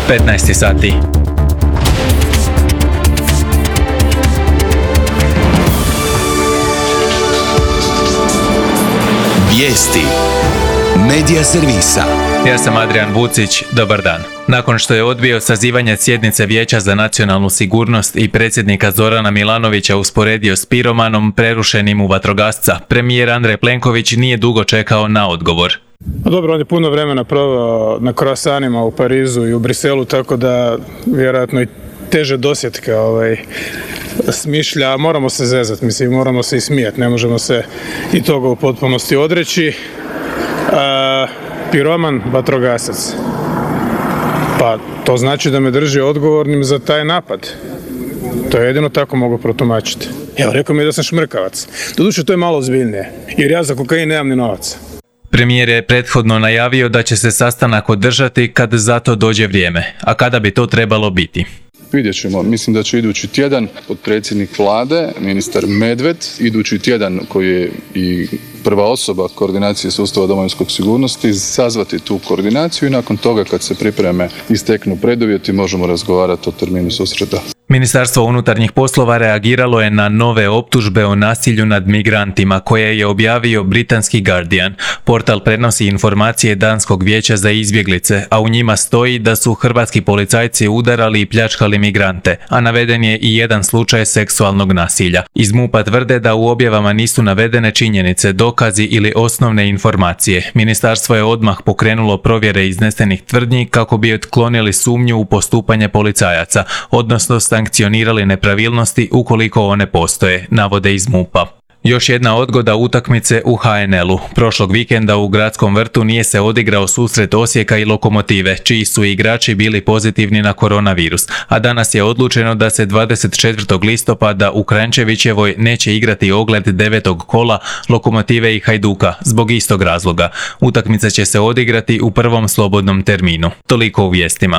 15 sati. Vijesti Medija servisa. Ja sam Adrian Vucić, dobar dan. Nakon što je odbio sazivanje sjednice Vijeća za nacionalnu sigurnost i predsjednika Zorana Milanovića usporedio s piromanom prerušenim u vatrogasca, premijer Andrej Plenković nije dugo čekao na odgovor. Dobro, on je puno vremena proveo na kroasanima u Parizu i u Briselu, tako da vjerojatno i teže dosjetke smišlja. Moramo se zezati, moramo se i smijati, ne možemo se i toga u potpunosti odreći. Piroman, vatrogasac. Pa to znači da me drži odgovornim za taj napad. To je jedino tako mogu protumačiti. Evo, rekao mi je da sam šmrkavac. Doduše, to je malo ozbiljnije, jer ja za kokain nemam ni novaca. Premijer je prethodno najavio da će se sastanak održati kad za to dođe vrijeme. A kada bi to trebalo biti? Vidjet ćemo. Mislim da će idući tjedan potpredsjednik vlade, ministar Medved, idući tjedan koji je i prva osoba koordinacije sustava domovinskog sigurnosti, sazvati tu koordinaciju i nakon toga kad se pripreme i steknu preduvjeti možemo razgovarati o terminu susreta. Ministarstvo unutarnjih poslova reagiralo je na nove optužbe o nasilju nad migrantima koje je objavio britanski Guardian. Portal prenosi informacije Danskog vijeća za izbjeglice, a u njima stoji da su hrvatski policajci udarali i pljačkali migrante, a naveden je i jedan slučaj seksualnog nasilja. Iz MUP-a tvrde da u objavama nisu navedene činjenice, dokazi ili osnovne informacije. Ministarstvo je odmah pokrenulo provjere iznesenih tvrdnji kako bi otklonili sumnju u postupanje policajaca, odnosno sankcionirali nepravilnosti ukoliko one postoje, navode iz MUP-a. Još jedna odgoda utakmice u HNL-u. Prošlog vikenda u Gradskom vrtu nije se odigrao susret Osijeka i Lokomotive, čiji su igrači bili pozitivni na koronavirus, a danas je odlučeno da se 24. listopada u Kranjčevićevoj neće igrati ogled 9. kola Lokomotive i Hajduka zbog istog razloga. Utakmica će se odigrati u prvom slobodnom terminu. Toliko u vijestima.